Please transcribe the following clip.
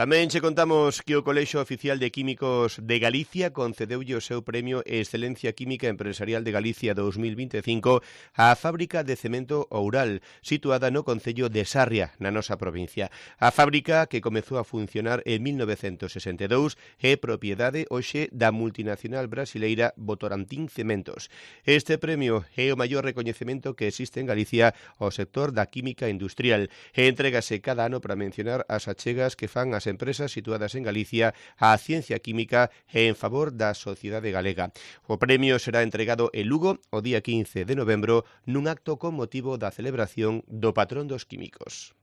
Tamén che contamos que o Colexio Oficial de Químicos de Galicia concedeulle o seu premio Excelencia Química Empresarial de Galicia 2025 á fábrica de cemento Oural, situada no concello de Sarria, na nosa provincia. A fábrica, que comezou a funcionar en 1962, é propiedade hoxe da multinacional brasileira Votorantim Cementos. Este premio é o maior recoñecemento que existe en Galicia ao sector da química industrial e entrégase cada ano para mencionar as achegas que fan as empresas situadas en Galicia á ciencia química e en favor da sociedade galega. O premio será entregado en Lugo o día 15 de novembro nun acto con motivo da celebración do patrón dos químicos.